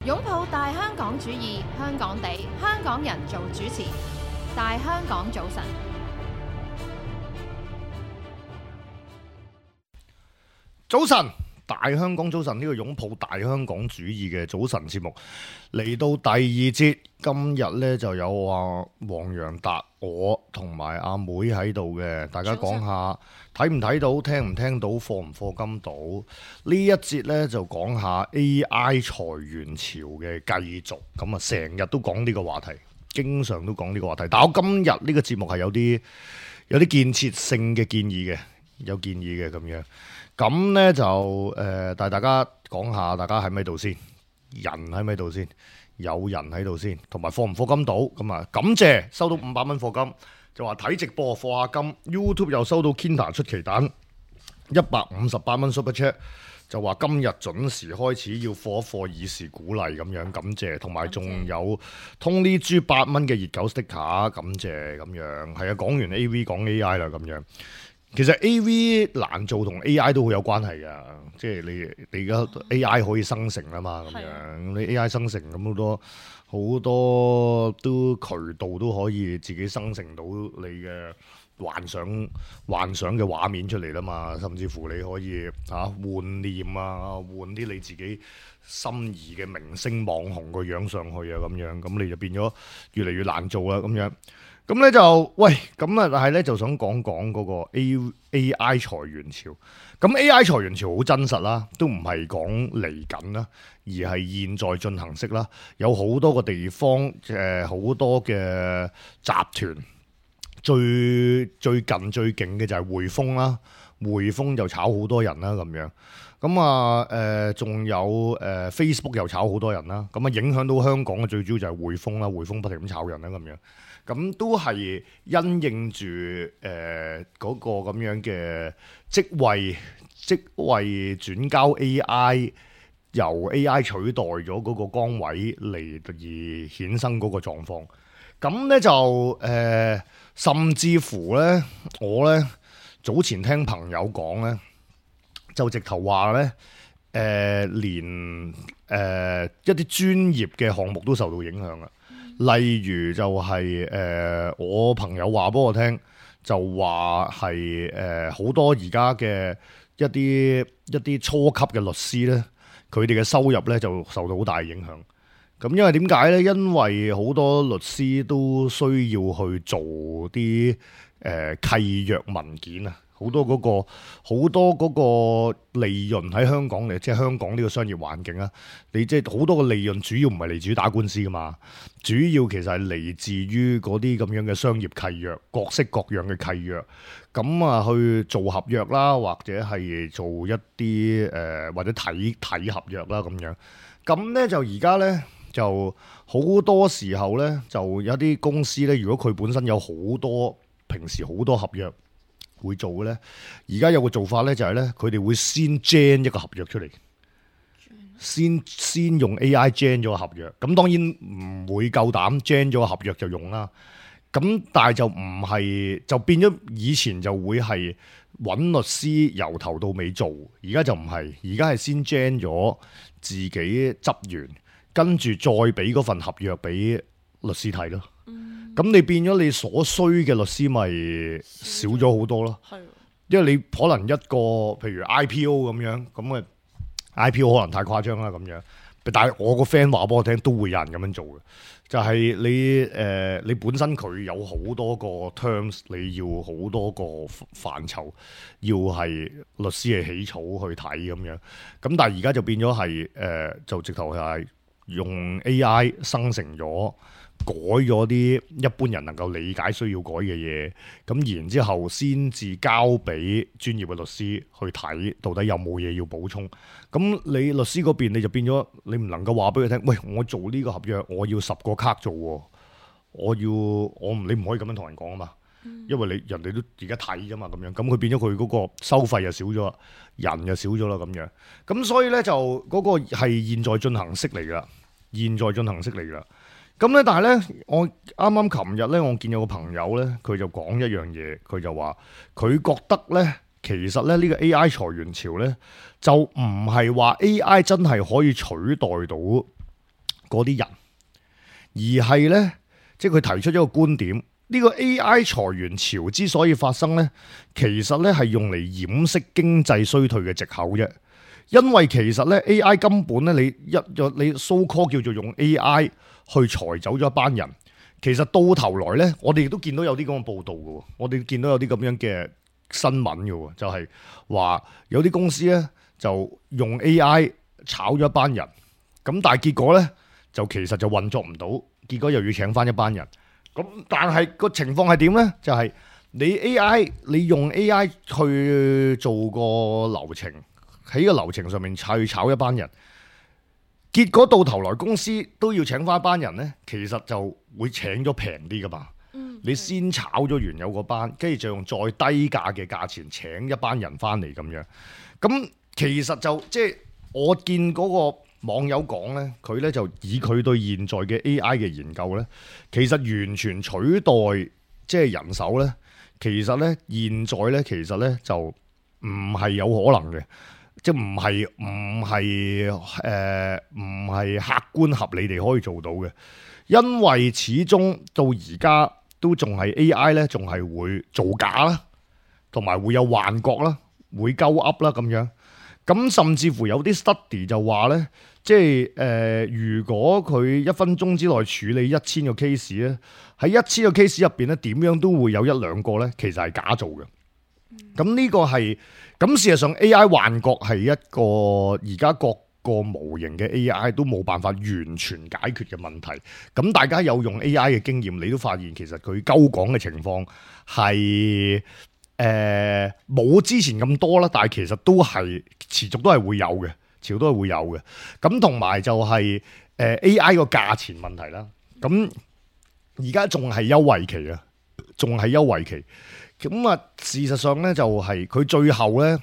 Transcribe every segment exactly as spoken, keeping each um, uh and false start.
擁抱大香港主義，香港地，香港人做主持。大香港早晨，早晨，大香港早晨，呢個擁抱大香港主義嘅早晨節目嚟到第二節，今日呢就有啊黃洋達我同埋阿妹喺度嘅，大家講下睇唔睇到、聽唔聽到、課唔課金到呢一節呢，就講下 A I 裁員潮嘅繼續，咁啊成日都講呢個話題，經常都講呢個話題，但我今日呢個節目係有啲有啲建設性嘅建議嘅，有建議嘅咁樣。咁呢就誒，但、呃、係大家講下，大家喺咪度先？人喺咪度先？有人喺度先，同埋課唔課金到咁啊？感謝收到五百蚊課金，就話睇直播課下金。YouTube 又收到 Kinder 出奇蛋一百五十八蚊 Super Chat， 就話今日準時開始要課一課以示鼓勵咁樣，感謝。同埋仲有通呢豬八蚊嘅熱狗 sticker， 感謝咁樣。係啊，講完 A V 講 A I 啦咁樣。其實 A V 難做同 A I 都好有關係㗎，即係你你而家 A I 可以生成啦嘛，咁樣你 A I 生成咁好多好多都渠道都可以自己生成到你嘅幻想幻想嘅畫面出嚟啦嘛，甚至乎你可以嚇換臉啊，換啲你自己心儀嘅明星網紅個樣上去啊，咁樣咁你就變咗越嚟越難做啦咁樣。咁咧就喂，咁啊，但係咧就想講講嗰個 A A I 裁員潮。咁 A I 裁員潮好真實啦，都唔係講嚟緊啦，而係現在進行式啦。有好多個地方，誒好多嘅集團，最最近最勁嘅就係匯豐啦，匯豐就炒好多人啦咁樣。咁啊誒，仲有誒 Facebook 又炒好多人啦。咁啊影響到香港嘅最主要就係匯豐啦，匯豐不停咁炒人啦咁樣。咁都係因應住誒嗰個咁樣嘅職位職位轉交 A I， 由 A I 取代咗嗰個崗位嚟而衍生嗰個狀況。咁咧就誒、呃，甚至乎咧，我咧早前聽朋友講咧，就直頭話咧誒，連誒、呃、一啲專業嘅項目都受到影響啊！例如就係、是、誒、呃，我朋友話俾我聽，就話係誒好多而家嘅一啲一啲初級嘅律師咧，佢哋嘅收入咧就受到好大影響。咁因為點解咧？因為好多律師都需要去做啲誒、呃、契約文件啊。好多嗰個好多嗰個利潤喺香港嚟，即係香港呢個商業環境啊！你即係好多個利潤，主要唔係嚟自於打官司噶嘛，主要其實係嚟自於嗰啲咁樣嘅商業契約，各式各樣嘅契約。咁啊，去做合約啦，或者係做一啲誒、呃、或者睇睇合約啦咁樣。咁咧就而家咧就好多時候咧，就有啲公司咧，如果佢本身有好多平時好多合約會做嘅咧，而家有個做法咧，就係咧，佢哋會先 gen 一個合約出嚟，先先用 A I gen 咗個合約。咁當然唔會夠膽 gen 咗個合約就用啦。咁但係就唔係，就變咗以前就會係揾律師由頭到尾做，而家就唔係，而家係先 gen 咗自己執完，跟住再俾嗰份合約俾律師睇咯。咁你變咗你所需嘅律師咪少咗好多咯，因為你可能一個譬如 I P O 咁樣，咁啊 I P O 可能太誇張啦咁樣，但係我個 friend 話俾我聽，都會有人咁樣做嘅，就係、是、你誒、呃、你本身佢有好多個 terms， 你要好多個範疇，要係律師係起草去睇咁樣，咁但係而家就變咗係誒就直頭係用 A I 生成咗。改咗啲一般人能夠理解需要改嘅嘢，咁然之後先至交俾專業嘅律師去睇，到底有冇嘢要補充。咁你律師嗰邊你就變咗，你唔能夠話俾佢聽，喂，我做呢個合約，我要十個卡做，我要我唔你唔可以咁樣同人講啊嘛，因為你人哋都而家睇啫嘛，咁樣，咁佢變咗佢嗰個收費又少咗，人又少咗啦，咁樣，咁所以咧就嗰個係現在進行式嚟噶，現在進行式嚟噶。咁咧，但係咧，我啱啱琴日咧，我見有個朋友咧，佢就講一樣嘢，佢就話佢覺得咧，其實咧呢個 A I 裁員潮咧，就唔係話 A I 真係可以取代到嗰啲人，而係呢，即係佢提出一個觀點，呢個 A I 裁員潮之所以發生呢，其實呢係用嚟掩飾經濟衰退嘅藉口啫。因為其實呢 A I 根本呢，你一你 so call 叫做用 A I 去裁走咗一班人，其實到頭來呢，我哋亦都見到有啲咁嘅報道嘅，我哋見到有啲咁樣嘅新聞嘅，就係話有啲公司呢，就用 A I 炒咗一班人，咁但係結果呢，就其實就運作唔到，結果又要請翻一班人。咁但係個情況係點呢？就係你 A I 你用 A I 去做個流程，喺個流程上面去炒一班人，結果到頭來公司都要請翻一班人呢，其實就會請咗平啲噶嘛。你先炒咗原有嗰班，跟住就用再低價嘅價錢請一班人翻嚟咁樣。咁其實就即係我見嗰個網友講呢，佢呢就以佢對現在嘅 A I 嘅研究呢，其實完全取代即係人手呢。其實呢，現在呢，其實呢就唔係有可能嘅，即係唔係唔係誒唔係客觀合理地可以做到嘅，因為始終到而家都仲係 A I 呢，仲係會造假啦，同埋會有幻覺啦，會鳩噏啦咁樣。咁甚至乎有啲 study 就話呢，即係誒、呃，如果佢一分鐘之內處理一千個 case 咧，喺一千個 case 入邊咧，點樣都會有一兩個呢，其實係假做嘅。咁呢個係咁事實上 A I 幻覺係一個而家各個模型嘅 A I 都冇辦法完全解決嘅問題。咁大家有用 A I 嘅經驗，你都發現其實佢鳩講嘅情況係誒冇之前咁多啦，但係其實都係持續都係會有嘅，持續都係會有嘅。咁同埋就係、是、誒、呃、A I 個價錢問題啦。咁而家仲係優惠期啊，仲係優惠期。咁啊，事實上咧就係、是、佢最後咧，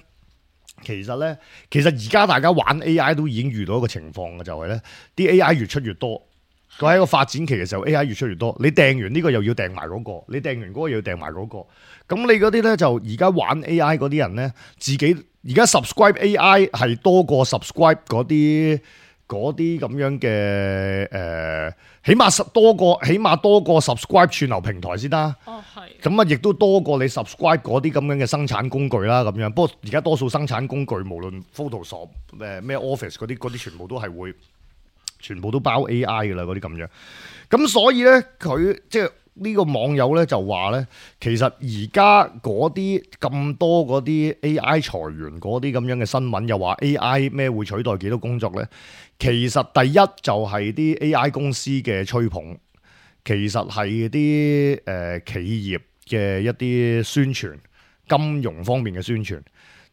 其實咧，其實而家大家玩 A I 都已經遇到一個情況嘅，就係咧啲 A I 越出越多。佢喺一個發展期嘅時候 ，A I 越出越多，你訂完呢個又要訂埋嗰個，你訂完嗰個又要訂埋嗰個。咁你嗰啲咧就而家玩 A I 嗰啲人咧，自己而家 subscribe A I 係多過 subscribe 嗰啲嗰啲咁樣嘅誒、呃，起碼多過起碼多過 subscribe 串流平台先啦。哦，係。咁啊，亦都多過你 subscribe 嗰啲咁樣嘅生產工具啦，咁樣。不過而家多數生產工具，無論 Photoshop 誒咩 Office 嗰啲嗰啲，全部都係會。全部都包 A I 嘅啦，嗰啲咁樣。咁所以咧，佢即係呢個網友咧就話咧，其實而家嗰啲咁多嗰啲 A I 裁員嗰啲咁樣嘅新聞，又話 A I 咩會取代幾多工作咧？其實第一就係啲 A I 公司嘅吹捧，其實係啲誒企業嘅一啲宣傳，金融方面嘅宣傳。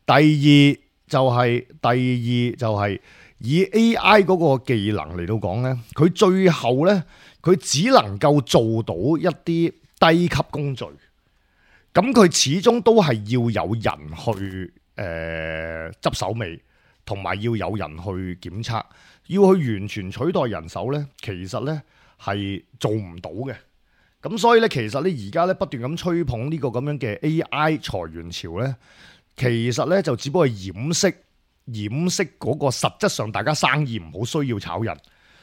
第二就係、是、第二就係、是。以 A I 嗰個技能嚟到講呢，佢最後呢，佢只能夠做到一啲低級工序，咁佢始終都係要有人去誒執手尾，同埋要有人去檢測，要去完全取代人手呢，其實呢係做唔到嘅。咁所以呢，其實呢而家呢不斷咁吹捧呢個咁樣嘅 A I 裁員潮呢，其實呢就只不過係掩飾。掩飾嗰個實質上大家生意唔好，需要炒人，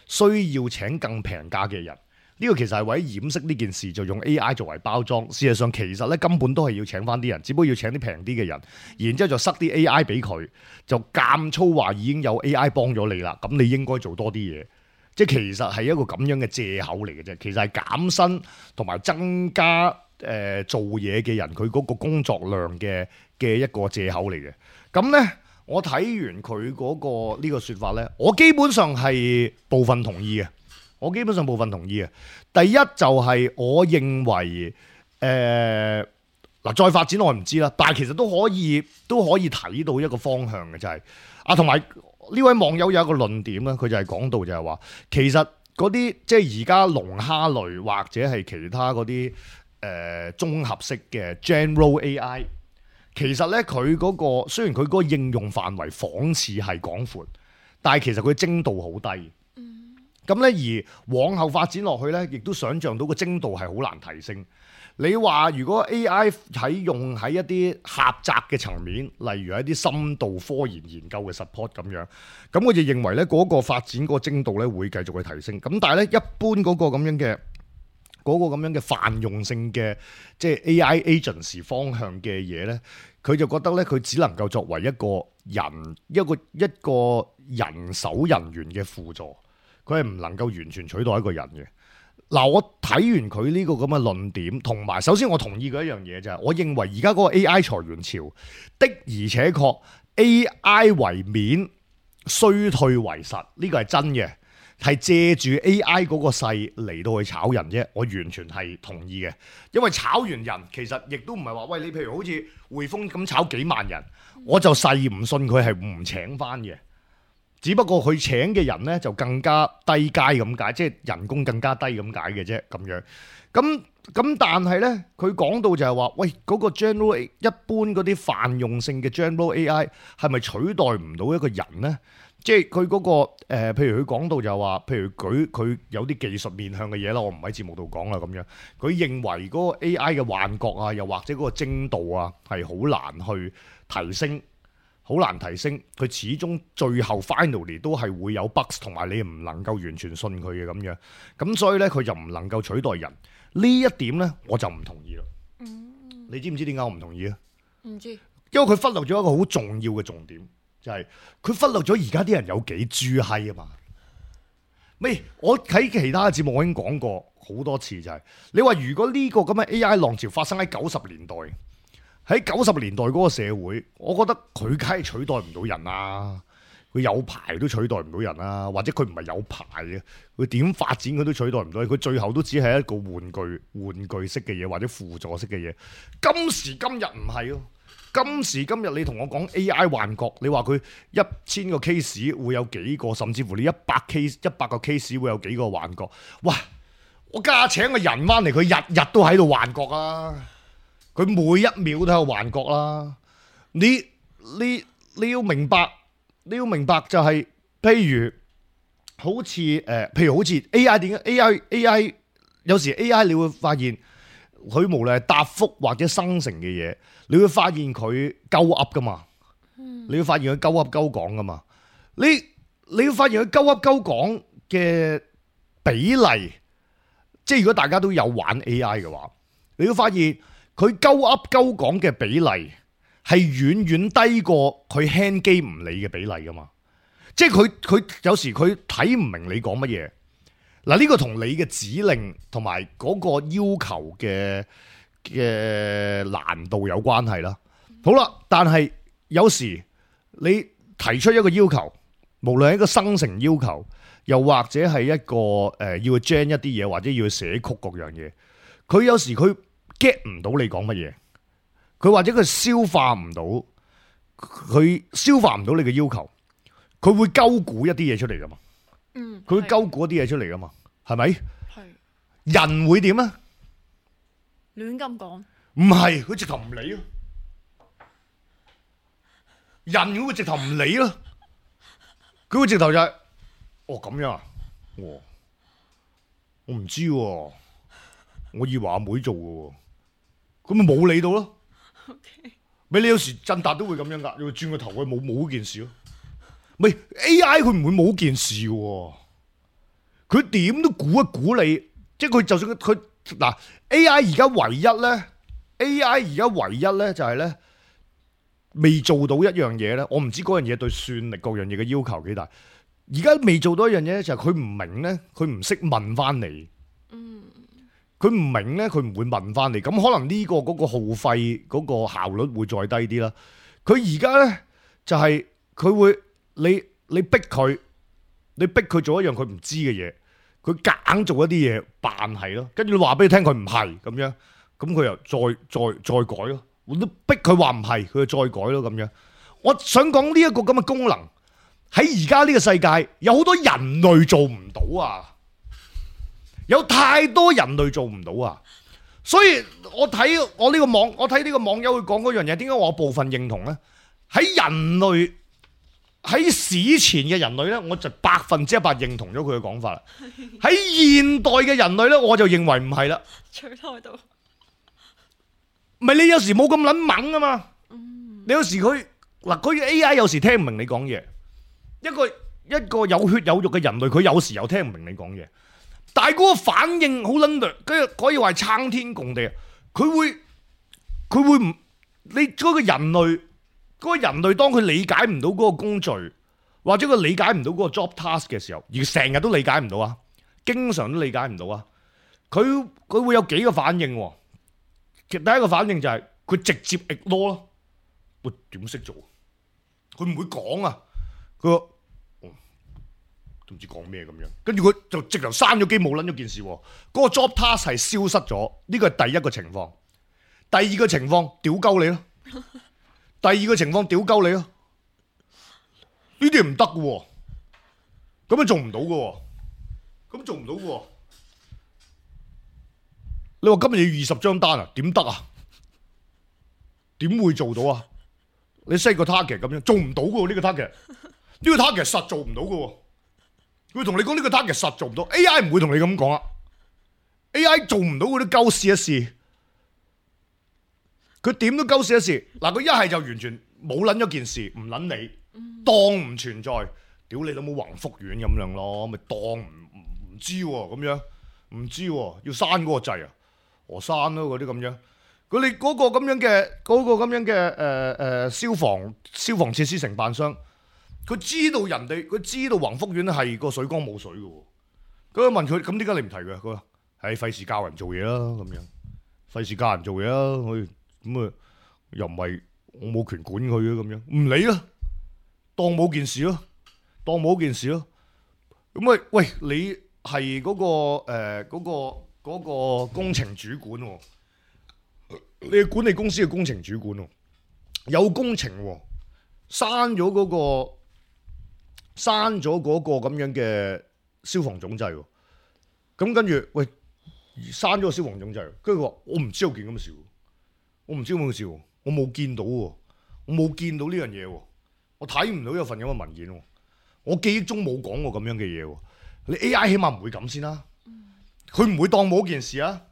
需要請更平價嘅人。呢、這個其實係為咗掩飾呢件事，就用 A I 作為包裝。事實上其實咧根本都係要請翻啲人，只不過要請啲平啲嘅人，然之後就塞啲 A I 俾佢，就監粗話已經有 A I 幫咗你啦。咁你應該做多啲嘢，即係其實係一個咁樣嘅藉口嚟嘅啫。其實係減薪同埋增加誒、呃、做嘢嘅人佢嗰個工作量嘅嘅一個藉口嚟嘅。咁咧。我睇完佢嗰個呢個說法呢，我基本上係部分同意嘅。我基本上部分同意嘅。第一就係我認為，誒、呃、嗱再發展我唔知啦，但係其實都可以都可以睇到一個方向嘅，就係、是、啊，同埋呢位網友有一個論點啦，佢就係講到就係話，其實嗰啲即係而家龍蝦類或者係其他嗰啲誒綜合式嘅 General A I。其實咧，佢嗰個雖然佢嗰個應用範圍仿似係廣闊，但係其實佢精度好低。咁咧、嗯，而往後發展落去咧，亦都想像到個精度係好難提升。你話如果 A I 喺用喺一啲狹窄嘅層面，例如一啲深度科研研究嘅 support 咁樣，咁我就認為咧嗰個發展嗰個精度咧會繼續去提升。咁但係咧一般嗰個咁樣嘅嗰個咁樣嘅泛用性嘅即係 A I agency 方向嘅嘢咧，佢就覺得咧佢只能夠作為一個人一個一個人手人員嘅輔助，佢係唔能夠完全取代一個人嘅。嗱，我睇完佢呢個咁嘅論點，同埋首先我同意嘅一樣嘢就係，我認為而家嗰個 A I 裁員潮的而且確 A I 為免衰退為實，呢個係真嘅，係借住 A I 嗰個勢嚟到去炒人啫。我完全係同意嘅，因為炒完人其實亦都唔係話喂，你譬如好似匯豐咁炒幾萬人，我就誓唔信佢係唔請翻嘅。只不過佢請嘅人咧就更加低階咁解，即係人工更加低咁解嘅啫，咁樣。咁咁但係咧，佢講到就係話，喂，嗰個 general 一般嗰啲泛用性嘅 general A I 係咪取代唔到一個人咧？即係佢嗰個誒、呃，譬如佢講到就係話，譬如佢佢有啲技術面向嘅嘢啦，我唔喺節目度講啦，咁樣。佢認為嗰個 A I 嘅幻覺啊，又或者嗰個精度啊，係好難去提升。好難提升，佢始終最後 finally 都係會有 bugs，同埋你唔能夠完全信佢嘅咁樣，咁所以咧佢就唔能夠取代人。呢一點咧我就唔同意啦。嗯，你知唔知點解我唔同意啊？唔知，因為佢忽略咗一個好重要嘅重點，就係、是、佢忽略咗而家啲人有幾豬閪啊嘛。未，我喺其他嘅節目我已經講過好多次、就是，就係你話如果呢個咁嘅 A I 浪潮發生喺九十年代。喺九十年代嗰個社會，我覺得佢梗係取代唔到人啦。佢有牌都取代唔到人啦，或者佢唔係有牌嘅，佢點發展佢都取代唔到。佢最後都只係一個玩具、玩具式嘅嘢，或者輔助式嘅嘢。今時今日唔係咯，今時今日你同我講 A I 幻覺，你話佢一千個 case 會有幾個，甚至乎你一百 case 一百個 case 會有幾個幻覺？哇！我家請個人翻嚟，佢日日都喺度幻覺啊！佢每一秒都有幻覺啦，你你你要明白，你要明白就係、是，譬如好似誒、呃，譬如好似 A I 點解 A I A I 有時 A I 你會發現佢無論係答覆或者生成嘅嘢，你會發現佢鳩噏噶嘛，你會發現佢鳩噏鳩講噶嘛，你你會發現佢鳩噏鳩講嘅比例，即係如果大家都有玩 A I 嘅話，你會發現。佢鳩噏鳩講嘅比例係遠遠低過佢 hand 機唔理嘅比例噶嘛，即係佢佢有時佢睇唔明你講乜嘢。嗱，呢個同你嘅指令同埋嗰個要求嘅嘅難度有關係啦。好啦，但係有時你提出一個要求，無論係一個生成要求，又或者係一個誒、呃、要去 gen 一啲嘢，或者要去寫曲各樣嘢，佢有時佢。get 唔到你講乜嘢，佢或者佢消化唔到，佢消化唔到你嘅要求，佢會鳩估一啲嘢出嚟噶嘛？嗯，佢會鳩估一啲嘢出嚟噶嘛？係咪？係。人會點啊？亂咁講。唔係，佢直頭唔理咯。人佢會直頭唔理咯。佢會直頭就係、是，哦咁樣啊，我我唔知喎、啊，我以為阿妹做嘅喎。咁咪冇理到咯，咪、okay. 你有時振達都會咁樣噶，你會轉個頭去冇冇件事咯。咪 A I 佢唔會冇件事嘅，佢點都估一估你，即係佢就算佢嗱 A I 而家唯一咧 ，A I 而家唯一咧就係咧未做到一樣嘢咧，我唔知嗰樣嘢對算力各樣嘢嘅要求幾大。而家未做到一樣嘢咧，就係佢唔明咧，佢唔識問翻你。嗯。佢唔明咧，佢唔會問翻你，咁可能呢個嗰個耗費嗰個效率會再低啲啦。佢而家咧就係、是、佢會你你逼佢，你逼佢做一樣佢唔知嘅嘢，佢夾硬做一啲嘢扮係咯，跟住你話俾佢聽佢唔係咁樣，咁佢又再再再改咯。我都逼佢話唔係，佢就再改咯咁樣。我想講呢一個咁嘅功能喺而家呢個世界有好多人類做唔到啊！有太多人類做唔到啊，所以我睇我呢個網，我睇呢個網友去講嗰樣嘢，點解我部分認同呢？喺人類喺史前嘅人類呢，我就百分之一百認同咗佢嘅講法啦。喺現代嘅人類呢，我就認為唔係啦。取代到唔係你有時冇咁撚猛啊嘛。你有時佢嗱，佢 A I 有時聽唔明你講嘢，一個一個有血有肉嘅人類，佢有時又聽唔明你講嘢，但係嗰個反應好撚略，跟住可以話係撐天共地。佢會佢會唔你嗰個人類嗰個人類當佢理解唔到嗰個工序，或者佢理解唔到嗰個 job task 嘅時候，而成日都理解唔到啊，經常都理解唔到啊，佢佢會有幾個反應喎。其實第一個反應就係佢直接 ignore 咯。喂，點識做？佢唔會講啊！佢話都唔知講咩咁樣，跟住佢就直頭閂咗機，冇撚咗件事。嗰個 job task 係消失咗，呢個係第一個情況。第二個情況，屌鳩你咯。第二個情況，屌鳩你咯。呢啲唔得嘅喎，咁樣做唔到嘅喎，咁做唔到嘅喎。你話今日要二十張單啊？點得啊？點會做到啊？你 set 個 target 咁樣做唔到嘅喎，呢個 target，呢個 target 實做唔到嘅喎。佢同你講呢個 target 實做唔到 ，A I 唔會同你咁講啊。A I 做唔到嗰啲鳩試一試，佢點都鳩試一試。嗱，佢一係就完全冇撚咗件事，唔撚你，當唔存在，屌你老母宏福苑咁樣咯，咪當唔唔知喎咁樣，唔知喎要刪嗰個掣啊，我刪咯嗰啲咁樣。佢哋嗰個咁樣嘅嗰、嗰個咁樣嘅誒誒消防消防設施承辦商，佢知道人哋佢知道宏福苑係個水缸冇水嘅喎，咁問佢咁點解你唔提佢？佢話係費事教人做嘢啦，咁樣費事教人做嘢啦，佢咁啊又唔係我冇權管佢嘅咁樣，唔理啦，當冇件事咯，當冇件事咯。咁啊喂，你係嗰、嗰個誒嗰、呃嗰個嗰個工程主管喎。你係管理公司嘅工程主管喎，有工程喎，刪咗嗰個刪咗嗰個咁樣嘅消防總掣喎，咁跟住喂刪咗個消防總掣，跟住佢話我唔知有件咁嘅事，我唔知有冇事，我冇見到喎，我冇見到呢樣嘢喎，我睇唔到有份咁嘅文件喎，我記憶中冇講過咁樣嘅嘢喎，你 A I 起碼唔會咁先啦，佢唔會當冇件事啊，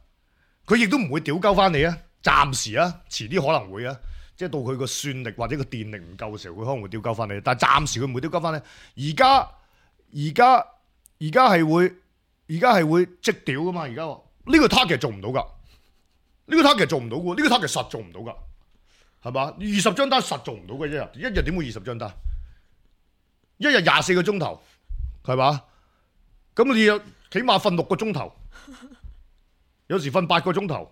佢亦都唔會屌鳩翻你啊。暫時啊，遲啲可能會啊，即係到佢個算力或者個電力唔夠嘅時候，佢可能會丟鳩翻你。但係暫時佢唔會丟鳩翻你。而家而家而家係會而家係會即屌噶嘛？而家呢個 target 做唔到㗎，呢個 target 做唔到㗎，呢個 target 實做唔到㗎，係嘛？二十張單實做唔到嘅一日，一日點會二十張單？一日廿四個鐘頭，係嘛？咁你有起碼瞓六個鐘頭，有時瞓八個鐘頭。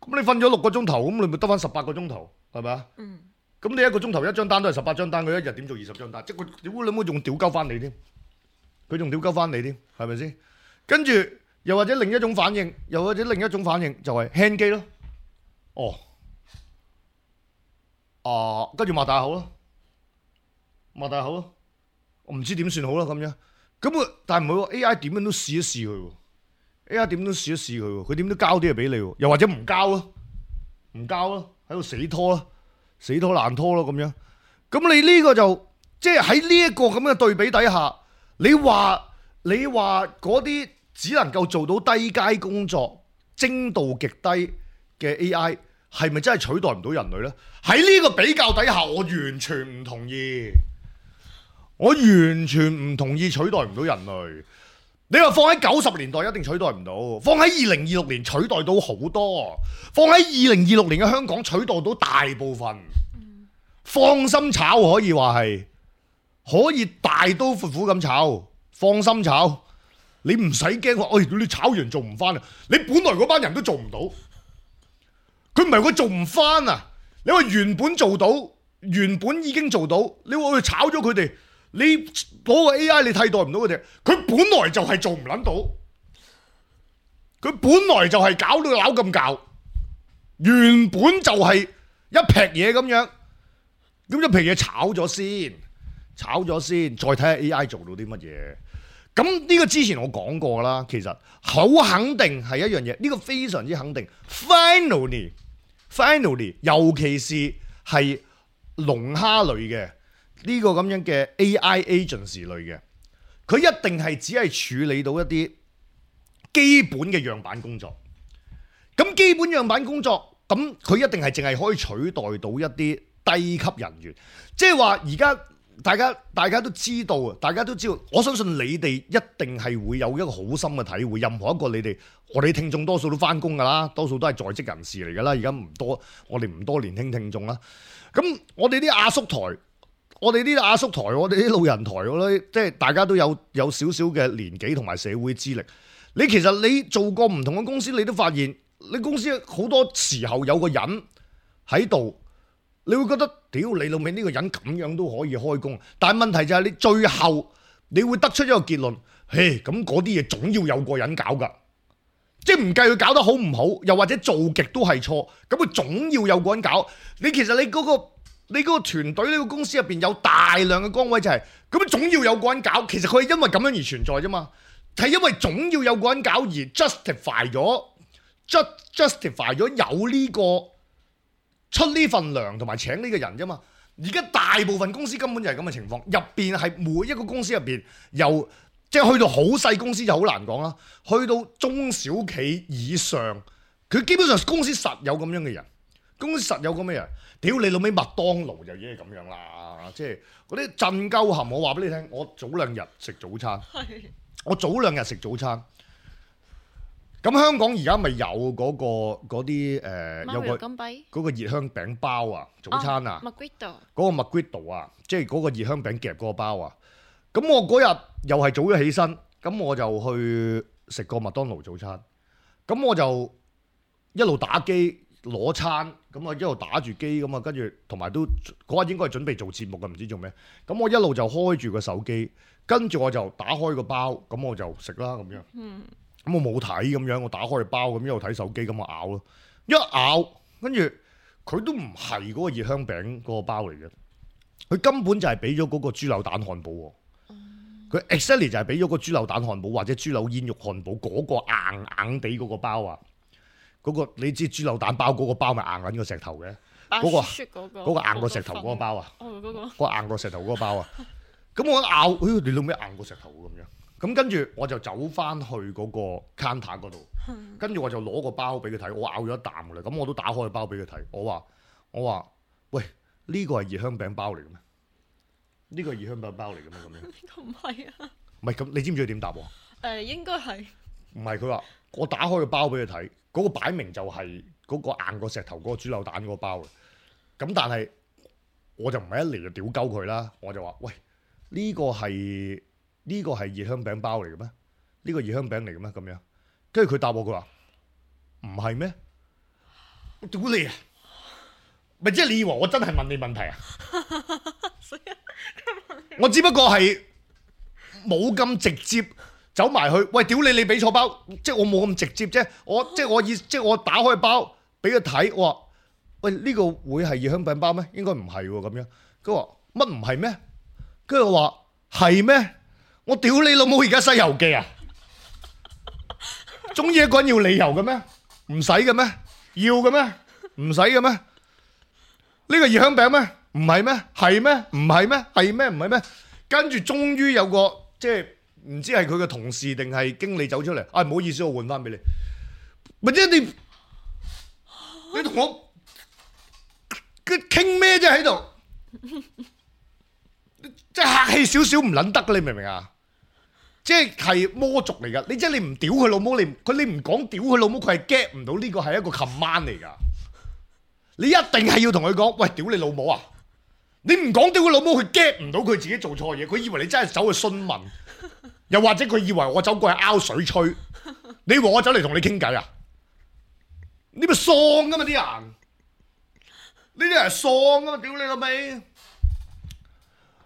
咁你瞓咗六個鐘頭，咁你咪得翻十八個鐘頭，係咪啊？嗯。咁你一個鐘頭一張單都係十八張單，佢一日點做二十張單？即係佢屌你冇仲屌鳩翻你添，佢仲屌鳩翻你添，係咪先？跟住又或者另一種反應，又或者另一種反應就係 hang 機咯。哦。啊，跟住擘大口咯，擘大口咯，我唔知點算好啦咁樣。咁啊，但係唔係喎 A I 點樣都試一試佢喎。A I 點都試一試佢喎，佢點都交啲嘢俾你喎，又或者唔交咯，唔交咯，喺度死拖咯，死拖爛拖咯咁樣。咁你呢個就即係喺呢一個咁嘅對比底下，你話你話嗰啲只能夠做到低階工作、精度極低嘅 A I 係咪真係取代唔到人類呢？喺呢個比較底下，我完全唔同意，我完全唔同意取代唔到人類。你話放喺九十年代一定取代唔到，放喺二零二六年取代到好多，放喺二零二六年嘅香港取代到大部分，放心炒可以話係可以大刀闊斧咁炒，放心炒，你唔使驚話，哎，你炒完做唔翻啊！你本來嗰班人都做唔到，佢唔係佢做唔翻啊！你話原本做到，原本已經做到，你話去炒咗佢哋。你嗰個 A I 你替代唔到佢哋，佢本來就係做唔撚到，佢本來就係搞到扭咁搞，原本就係一劈嘢咁樣，咁一劈嘢炒咗先，炒咗先，再睇下 A I 做到啲乜嘢。咁呢個之前我講過啦，其實好肯定係一樣嘢，呢個非常之肯定。Finally，finally， finally， 尤其是係龍蝦類嘅。呢個咁樣嘅 A I agency 類嘅，佢一定係只係處理到一啲基本嘅樣板工作。咁基本樣板工作咁佢一定係淨係可以取代到一啲低級人員，即係話而家大家大家都知道啊，大家都知道，我相信你哋一定係會有一個好深嘅體會。任何一個你哋，我哋聽眾多數都翻工㗎啦，多數都係在職人士嚟㗎啦。而家唔多，我哋唔多年輕聽眾啦。咁我哋啲阿叔台，我哋啲阿叔台，我哋啲老人台，我覺得即係大家都有有少少嘅年紀同埋社會資歷。你其實你做過唔同嘅公司，你都發現你公司好多時候有個人喺度。你會覺得屌你老味呢個人咁樣都可以開工，但係問題就係你最後你會得出一個結論，嘿咁嗰啲嘢總要有個人搞㗎，即係唔計佢搞得好唔好，又或者做極都係錯，咁佢總要有個人搞。你其實你嗰個你嗰個團隊呢個公司入邊有大量嘅崗位就係，咁總要有個人搞。其實佢係因為咁樣而存在啫嘛，係因為總要有個人搞而 justify 咗 justify 咗有呢個。出呢份糧同埋請呢個人啫嘛，而家大部分公司根本就係咁嘅情況，入邊係每一個公司入邊，由即係去到好細公司就好難講啦，去到中小企以上，佢基本上公司實有咁樣嘅人，公司實有咁嘅人，屌你老味麥當勞就已經係咁樣啦，即係嗰啲震鳩冚，我話俾你聽，我早兩日食早餐，我早兩日食早餐。咁香港而家咪有嗰、嗰個嗰啲誒有個嗰個熱香餅包啊，早餐啊，嗰、哦、個麥gwit度啊，即係嗰個熱香餅夾嗰個包啊。咁我嗰日又係早咗起身，咁我就去食個麥當勞早餐。咁我就一路打機攞餐，咁啊一路打住機咁啊，跟住同埋都嗰日應該係準備做節目嘅，唔知做咩。咁我一路就開住個手機，跟住我就打開個包，咁我就食啦咁樣。嗯。咁我冇睇咁樣，我打開個包咁一路睇手機咁我咬咯，一咬跟住佢都唔係嗰個熱香餅嗰個包嚟嘅，佢根本就係俾咗嗰個豬柳蛋漢堡喎。佢 exactly 就係俾咗個豬柳蛋漢堡或者豬柳煙肉漢堡嗰個硬硬地嗰個包啊，嗰、嗰個你知豬柳蛋包嗰個包咪硬緊個石頭嘅，嗰、嗰個嗰、嗰個硬過石頭嗰個包啊，嗰、嗰個嗰個硬過石頭嗰個包啊，咁我一咬，哎你老味硬過石頭咁樣。咁跟住我就走翻去嗰個 counter 嗰度，跟住我就攞個包俾佢睇，我咬咗一啖㗎啦。咁我都打開個包俾佢睇，我話我話喂，呢個係熱香餅包嚟嘅咩？呢個係熱香餅包嚟嘅咩？咁樣呢個唔係啊。唔係咁，你知唔知佢點答喎？誒應該係。唔係佢話我打開個包俾佢睇，嗰個擺明就係嗰個硬過石頭嗰個豬柳蛋嗰個包嘅。咁但係我就唔係一嚟就屌鳩佢啦，我就話喂，呢個係。呢個係熱香餅包嚟嘅咩？呢個熱香餅嚟嘅咩？咁樣，跟住佢答我，佢話唔係咩？我屌你啊！咪即係你以為我真係問你問題啊？我只不過係冇咁直接走埋去，喂，屌你！你俾錯包，即係我冇咁直接啫。我即係我意，即係我打開包俾佢睇，我話喂，呢個會係熱香餅包咩？應該唔係喎，咁樣。佢話乜唔係咩？跟住我話係咩？我屌你老母！而家西遊記啊，中意一個人要理由嘅咩？唔使嘅咩？要嘅咩？唔使嘅咩？呢個熱香餅咩？唔係咩？係咩？唔係咩？係咩？唔係咩？跟住終於有個即係唔知係佢嘅同事定係經理走出嚟，啊唔好意思，我換翻俾你。咪即係你你同我佢傾咩啫喺度？即係客氣少少唔撚得㗎，你明唔明啊？即係係魔族嚟㗎，你即係你唔屌佢老母，你佢你唔講屌佢老母，佢係 get 唔到呢個係一個 command 嚟㗎。你一定係要同佢講，喂，屌你老母啊！你唔講屌佢老母，佢 get 唔到佢自己做錯嘢，佢以為你真係走去詢問，又或者佢以為我走過去拗水吹，你以為我走嚟同你傾偈啊？你咪喪㗎嘛啲人，呢啲人係喪㗎嘛，屌你老味！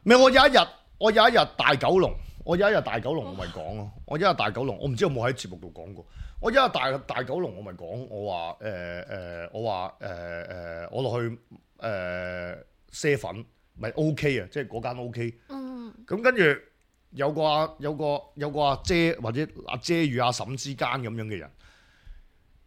咪我有一日，我有一日大九龍。我有一日大九龍我咪講咯，我一日大九龍，我唔知有冇喺節目度講過。我一日大大九龍我咪講，我話誒誒，我話誒誒，我落去誒賒粉，咪 O K 啊，即係嗰間 O K。嗯。咁跟住有個阿有個有個阿姐或者阿姐與阿嬸之間咁樣嘅人，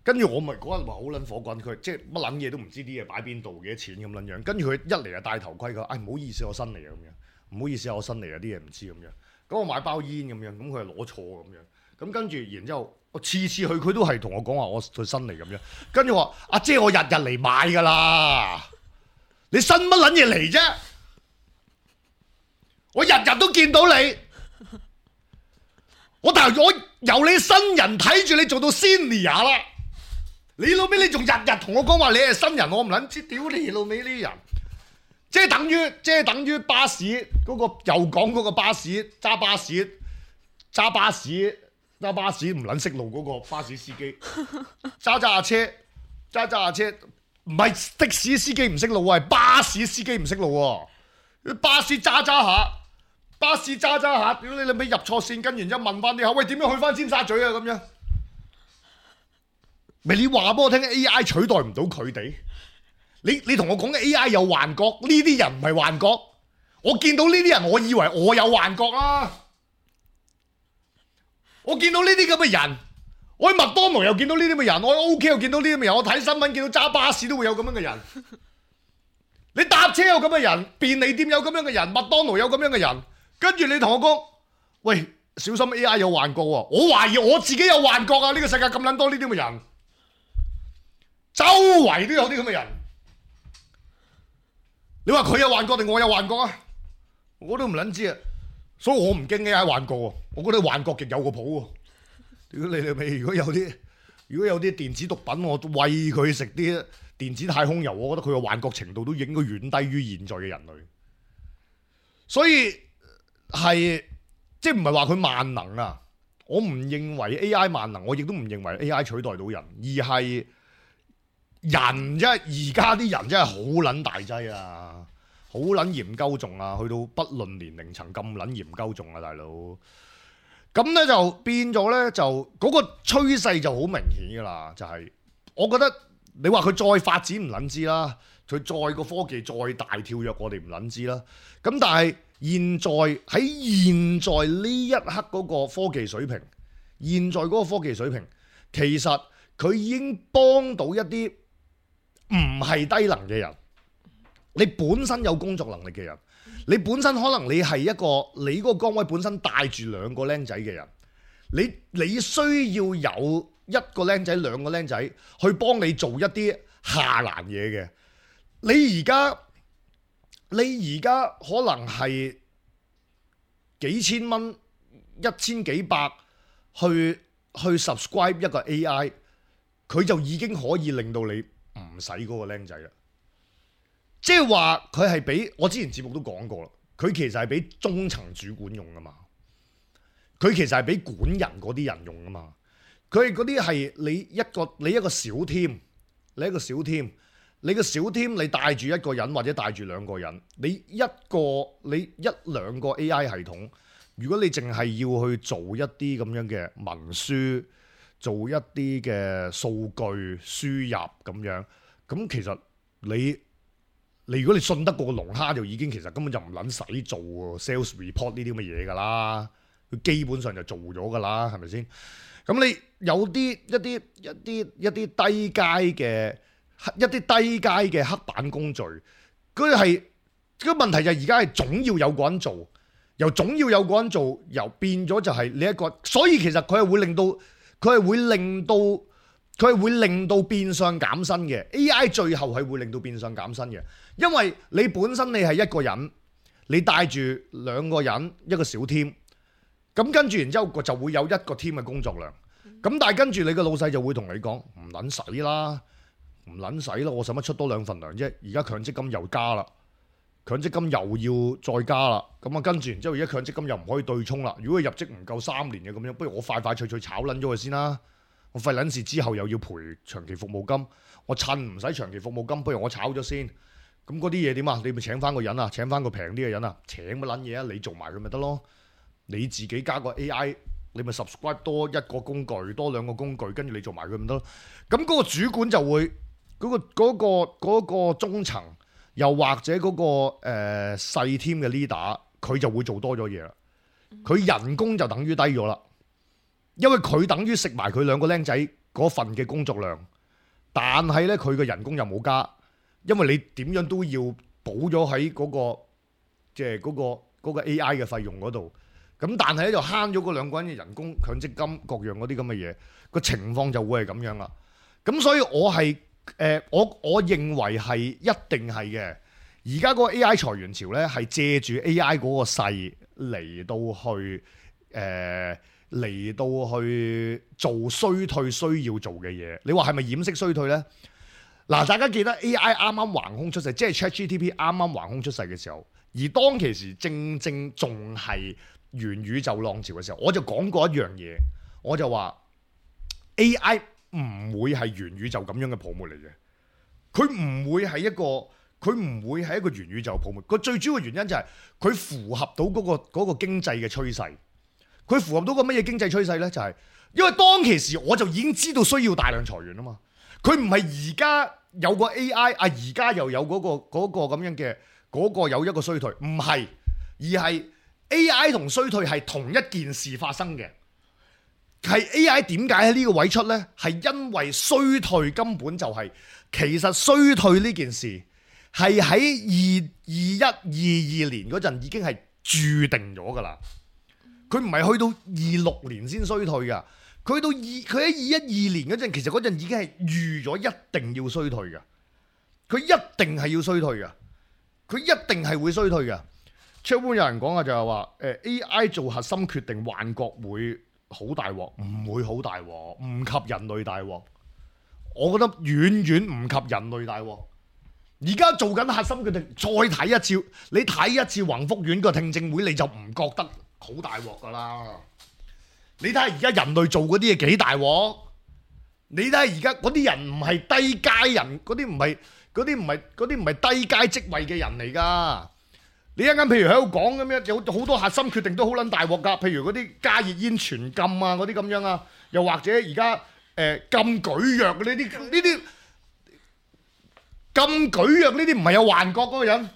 跟住我咪嗰日話好撚火滾，佢即係乜撚嘢都唔知啲嘢擺邊度幾多錢咁撚樣，跟住佢一嚟就戴頭盔，佢話：唉唔好意思，我新嚟啊咁樣，唔好意思，我新嚟啊啲嘢唔知咁樣。咁我買包煙咁樣，咁佢係攞錯咁樣，咁跟住然之後我次次去佢都係同我講話我佢新嚟咁樣，跟住話阿姐我日日嚟買㗎啦，你新乜撚嘢嚟啫？我日日都見到你，我但係我由你新人睇住你做到 senior 啦，你老尾你仲日日同我講話你係新人，我唔撚知，屌你老尾呢啲人！即係等於，即係等於巴士嗰、嗰個又講嗰個巴士揸巴士揸巴士揸巴士唔撚識路嗰個巴士司機揸揸下車揸揸下車，唔係的士司機唔識路喎，係巴士司機唔識路喎。巴士揸揸下，巴士揸揸下，屌你你咪入錯線，跟完之後問翻啲口，喂點樣去翻尖沙咀啊咁樣？咪你話俾我聽 ，A I 取代唔到佢哋。你你同我講嘅 A I 有幻覺，呢啲人唔係幻覺。我見到呢啲人，我以為我有幻覺啦。我見到呢啲咁嘅人，我喺麥當勞又見到呢啲咁嘅人，我喺 O K 又見到呢啲咁嘅人，我睇新聞見到揸巴士都會有咁樣嘅人。你搭車有咁嘅人，便利店有咁樣嘅人，麥當勞有咁樣嘅人，跟住你同我講，喂，小心 A I 有幻覺喎！我懷疑我自己有幻覺啊！呢個世界咁撚多呢啲咁嘅人，周圍都有啲咁嘅人。你話佢有幻覺定我有幻覺啊？我都唔撚知啊，所以我唔驚 A I 幻覺喎。我覺得幻覺極有個譜喎。如果你哋未如果有啲如果有啲電子毒品，我餵佢食啲電子太空油，我覺得佢嘅幻覺程度都應該遠低於現在嘅人類。所以係即係唔係話佢萬能啊？我唔認為 A I 萬能，我亦都唔認為 A I 取代到人，而係。人啫，而家啲人真係好撚大劑啊，好撚嚴鳩重啊，去到不論年齡層咁撚嚴鳩重啊，大佬。咁咧就變咗咧，就嗰、嗰個趨勢就好明顯噶啦，就係、係、我覺得你話佢再發展唔撚知啦，佢再個科技再大跳躍，我哋唔撚知啦。咁但係現在喺現在呢一刻嗰個科技水平，現在嗰個科技水平，其實佢已經幫到一啲。唔係低能嘅人，你本身有工作能力嘅人，你本身可能你係一個你嗰個崗位本身帶住兩個僆仔嘅人，你你需要有一個僆仔兩個僆仔去幫你做一啲下欄嘢嘅。你而家你而家可能係幾千蚊一千幾百去去 subscribe 一個 A I， 佢就已經可以令到你唔使嗰個僆仔啦，即係話佢係俾我之前節目都講過啦，佢其實係俾中層主管用噶嘛，佢其實係俾管人嗰啲人用噶嘛，佢係嗰啲係你一個你一個小 team，你一個小 team，你個小 team 你帶住一個人或者帶住兩個人，你一個你一兩個 A I 系統，如果你淨係要去做一啲咁樣嘅文書。做一啲嘅數據輸入咁樣，咁其實你你如果你信得過個龍蝦，就已經其實根本就唔撚使做 sales report 呢啲咁嘅嘢㗎啦，佢基本上就做咗㗎啦，係咪先？咁你有啲一啲一啲一啲低階嘅一啲低階嘅黑板工序，佢係個問題就係而家係總要有個人做，由總要有個人做，由變咗就係你一個，所以其實佢係會令到。佢係會令到佢係會令到變相減薪嘅 A I， 最後係會令到變相減薪嘅，因為你本身你係一個人，你帶住兩個人一個小 team， 咁跟住然之後就會有一個 team 嘅工作量，咁但係跟住你個老細就會同你講唔撚使啦，唔撚使啦，我使乜出多兩份糧啫？而家強積金又加啦，強積金又要再加啦，咁啊跟住然之後而家強積金又唔可以對沖啦。如果佢入職唔夠三年嘅咁樣，不如我快快脆脆炒撚咗佢先啦。我費撚事之後又要賠長期服務金，我趁唔使長期服務金，不如我炒咗先。咁嗰啲嘢點啊？你咪請翻個人啊，請翻個平啲嘅人啊，請乜撚嘢啊？你做埋佢咪得咯？你自己加個 A I， 你咪 subscribe 多一個工具，多兩個工具，跟住你做埋佢咪得咯？咁嗰個主管就會嗰、嗰個嗰、嗰個嗰個中層。又或者嗰、那個誒、呃、細 team 嘅 leader，佢就會做多咗嘢啦。佢人工就等於低咗啦，因為佢等於食埋佢兩個僆仔嗰份嘅工作量，但係咧佢嘅人工又冇加，因為你點樣都要補咗喺嗰個即係嗰個嗰個 A I 嘅費用嗰度。咁但係咧就慳咗嗰兩個人嘅人工、強積金各樣嗰啲咁嘅嘢，個情況就會係咁樣啦。咁所以我係誒、呃、我我認為係一定係嘅。而家嗰個 A I 裁員潮咧係借住 A I 嗰個勢嚟到去誒嚟、呃、到去做衰退需要做嘅嘢。你話係咪掩飾衰退咧？嗱，大家記得 A I 啱啱橫空出世，即係 ChatGPT 啱啱橫空出世嘅時候，而當其時正正仲係元宇宙浪潮嘅時候，我就講過一樣嘢，我就話 A I 唔會係元宇宙咁樣嘅泡沫嚟嘅，佢唔會係一個。佢唔會係一個元宇宙泡沫，個最主要嘅原因就係佢符合到嗰、嗰個嗰、嗰個經濟嘅趨勢。佢符合到個乜嘢經濟趨勢呢？就係、係、因為當其時我就已經知道需要大量裁員啊嘛。佢唔係而家有個 A I 啊，而家又有嗰、嗰個嗰、嗰個咁樣嘅嗰、嗰個有一個衰退，唔係，而係 A I 同衰退係同一件事發生嘅。係 A I 點解喺呢個位出呢？係因為衰退根本就係、係、其實衰退呢件事。係喺二二一二二年嗰陣已經係注定咗㗎啦，佢唔係去到二六年先衰退㗎，佢去到二佢喺二一二年嗰陣，其實嗰陣已經係預咗一定要衰退㗎，佢一定係要衰退㗎，佢一定係會衰退㗎。出邊有人講啊，就係話誒 A I 做核心決定，幻覺會好大鑊，唔會好大鑊，唔及人類大鑊。我覺得遠遠唔及人類大鑊。而家做緊核心決定，再睇一次，你睇一次宏福苑個聽證會，你就唔覺得好大鑊噶啦。你睇下而家人類做嗰啲嘢幾大鑊？你睇下而家嗰啲人唔係低階人，嗰啲唔係嗰啲唔係嗰啲唔係低階職位嘅人嚟噶。你一陣間譬如喺度講咁樣，有好多核心決定都好撚大鑊噶。譬如嗰啲加熱煙全禁啊，嗰啲咁樣啊，又或者而家誒禁舉藥呢啲呢啲。禁舉藥呢啲唔係有幻覺嗰個人，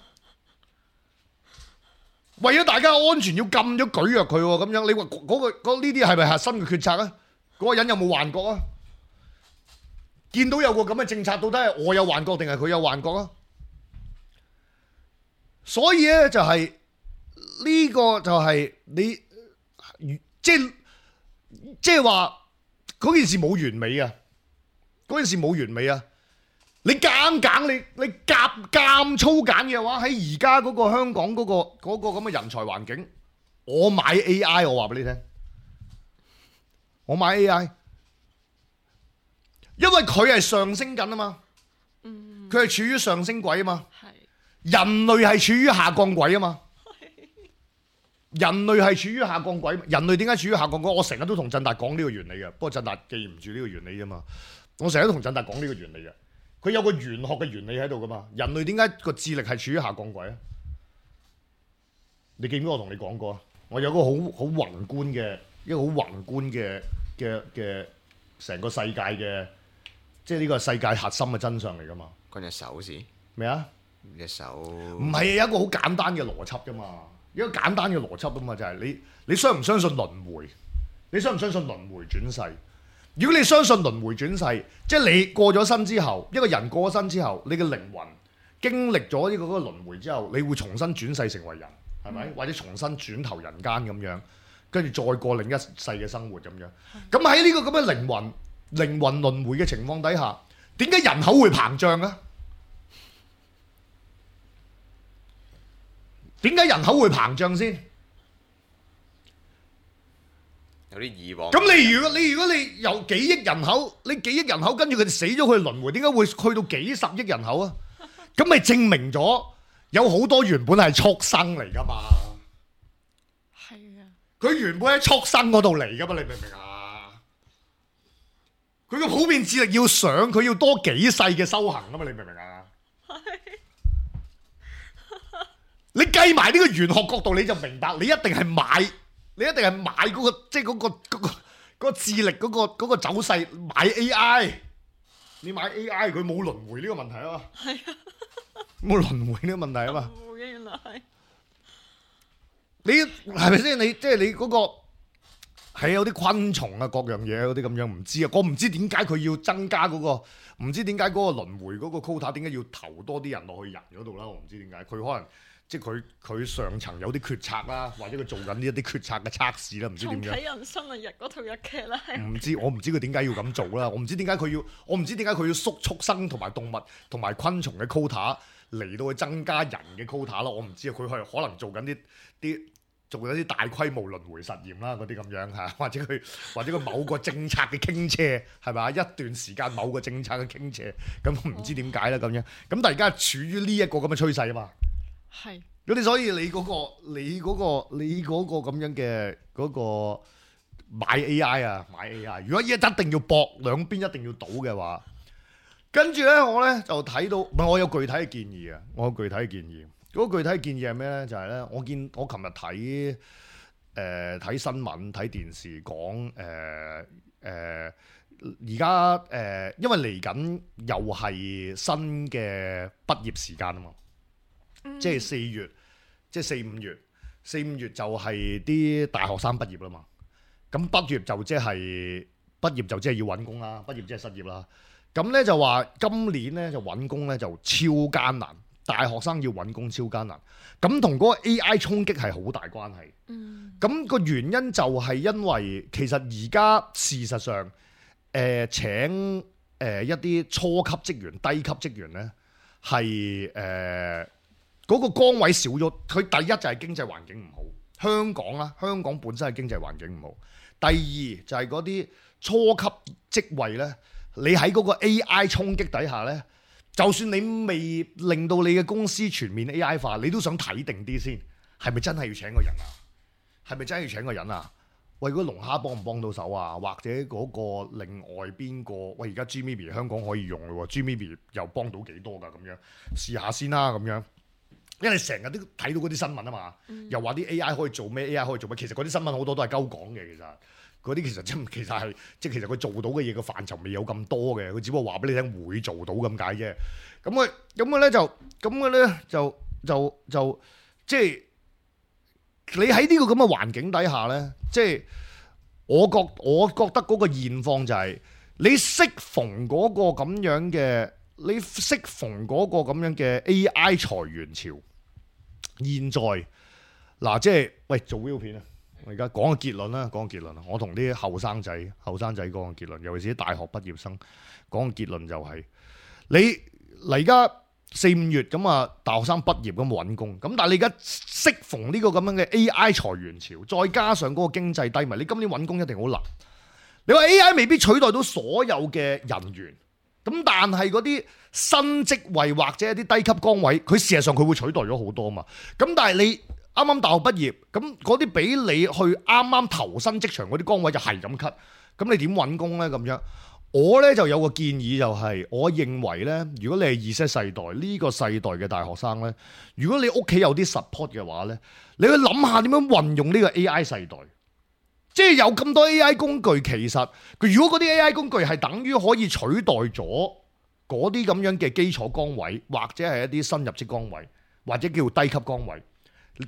為咗大家安全要禁咗舉藥佢喎，咁樣你話嗰、嗰個呢啲係咪核心嘅決策啊？嗰、嗰個人有冇幻覺啊？見到有個咁嘅政策，到底係我有幻覺定係佢有幻覺啊？所以咧就係、係、呢、呢個就係你即係即係話嗰件事冇完美啊！嗰件事冇完美啊！你揀揀你你夾夾粗揀嘅話，喺而家嗰個香港嗰、嗰個嗰、嗰個咁嘅人才環境，我買 A I， 我話俾你聽，我買 A I， 因為佢係上升緊啊嘛，佢係處於上升軌啊嘛，人類係處於下降軌啊嘛，人類係處於下降軌，人類點解處於下降軌？我成日都同振達講呢個原理嘅，不過振達記唔住呢個原理啫嘛，我成日都同振達講呢個原理嘅。佢有個玄學嘅原理喺度噶嘛？人類點解個智力係處於下降軌啊？你記唔記得我同你講過啊？我有個好好宏觀嘅一個好宏觀嘅嘅嘅成個世界嘅，即係呢個世界核心嘅真相嚟噶嘛？關隻手事咩啊？隻手唔係有一個好簡單嘅邏輯噶嘛？一個簡單嘅邏輯啊嘛，就係你你相唔相信輪迴？你相唔相信輪迴轉世？如果你相信輪迴轉世，即係你過咗身之後，一個人過咗身之後，你嘅靈魂經歷咗呢個嗰個輪迴之後，你會重新轉世成為人，係咪？或者重新轉投人間咁樣，跟住再過另一世嘅生活咁樣。咁喺呢個咁嘅靈魂靈魂輪迴嘅情況底下，點解人口會膨脹啊？點解人口會膨脹先？有啲以往。咁你如果你如果你有幾億人口，你幾億人口跟住佢哋死咗，佢輪迴，點解會去到幾十億人口啊？咁咪證明咗有好多原本係畜生嚟噶嘛？係啊，佢原本喺畜生嗰度嚟噶嘛？你明唔明啊？佢個普遍智力要上，佢要多幾世嘅修行啊嘛？你明唔明啊？你計埋呢個玄學角度，你就明白，你一定係買。你一定係買嗰、嗰個，即係嗰個嗰、嗰個嗰個智力嗰、嗰個嗰個走勢買 A I， 你買 A I 佢冇輪迴呢個問題啊嘛，係啊，冇輪迴呢個問題啊嘛，冇嘅原來係，你係咪先？你即係你嗰、嗰個係有啲昆蟲啊，各樣嘢嗰啲咁樣唔知啊，我唔知點解佢要增加嗰、嗰個，唔知點解嗰個輪迴嗰個 quota 點解要投多啲人落去人嗰度啦？我唔知點解，佢可能。即係佢佢上層有啲決策啦，或者佢做緊呢一啲決策嘅測試啦，唔知點樣。重啟人生啊！日嗰套日劇啦，係唔知我唔知佢點解要咁做啦，我唔知點解佢要，我唔知點解佢要縮畜生同埋動物同埋昆蟲嘅 quota 嚟到去增加人嘅 quota 啦，我唔知啊，佢係可能做緊啲啲做緊啲大規模輪迴實驗啦，嗰啲咁樣嚇，或者佢或者佢某個政策嘅傾斜係咪？一段時間某個政策嘅傾斜，咁唔知點解啦咁樣，咁但係而家處於呢一個咁嘅趨勢啊嘛。係。咁你所以你嗰、個你嗰、個你嗰個咁樣嘅嗰、個買 A I 啊買 A I， 如果依家一定要搏兩邊一定要賭嘅話，跟住咧我咧就睇到，唔係我有具體嘅建議啊，我有具體嘅建議。嗰、個具體嘅建議係咩咧？就係、係、咧，我見我琴日睇誒睇新聞睇電視講誒誒而家誒，因為嚟緊又係新嘅畢業時間啊嘛。即係四月，即係四五月，四五月就係啲大學生畢業啦嘛。咁畢業就即係畢業就即係要揾工啦，畢業即係失業啦。咁咧就話今年咧就揾工咧就超艱難，大學生要揾工超艱難。咁同嗰個 A I 衝擊係好大關係。嗯。咁個原因就係因為其實而家事實上，誒、呃、請誒、呃、一啲初級職員、低級職員咧係誒。嗰個崗位少咗，佢第一就係經濟環境唔好，香港啦，香港本身係經濟環境唔好。第二就係嗰啲初級職位呢，你喺嗰個 A I 衝擊底下呢，就算你未令到你嘅公司全面 A I 化，你都想睇定啲先，係咪真係要請個人啊？係咪真係要請個人啊？喂，嗰個龍蝦幫唔幫到手啊？或者嗰個另外邊個？喂，而家 Gmeeby 香港可以用咯喎 Gmeeby 又幫到幾多㗎？咁樣試下先啦，咁樣。因為你成日都睇到嗰啲新聞啊嘛，嗯、又話啲 A I 可以做咩 ，A I 可以做咩，其實嗰啲新聞好多都係鳩講嘅，其實嗰啲其實真其實係即係其實佢做到嘅嘢個範疇未有咁多嘅，佢只不過話俾你聽會做到咁解啫。咁佢咁嘅咧就咁嘅咧就就就即係你喺呢個咁嘅環境底下咧，即係我覺我覺得嗰個現況就係你適逢嗰個咁樣嘅。你適逢嗰個咁樣嘅 A I 裁員潮，現在嗱即係喂做 video 片啊！我而家講個結論啦，講個結論啊！我同啲後生仔、後生仔講個結論，尤其是啲大學畢業生講個結論就係、是、你嚟而家四五月咁啊，大學生畢業咁揾工，咁但係你而家適逢呢個咁樣嘅 A I 裁員潮，再加上嗰個經濟低迷，你今年揾工一定好難。你話 A I 未必取代到所有嘅人員。咁但係嗰啲新職位或者一啲低級崗位，佢事實上佢會取代咗好多嘛。咁但係你啱啱大學畢業，咁嗰啲俾你去啱啱投身職場嗰啲崗位就係咁 cut，咁你點揾工呢？咁樣我呢就有個建議就係、是，我認為呢，如果你係 Z 世代呢、這個世代嘅大學生呢，如果你屋企有啲 support 嘅話呢，你去諗下點樣運用呢個 A I 世代。即係有咁多 A I 工具，其實佢如果嗰啲 A I 工具係等於可以取代咗嗰啲咁樣嘅基礎崗位，或者係一啲新入職崗位，或者叫低級崗位，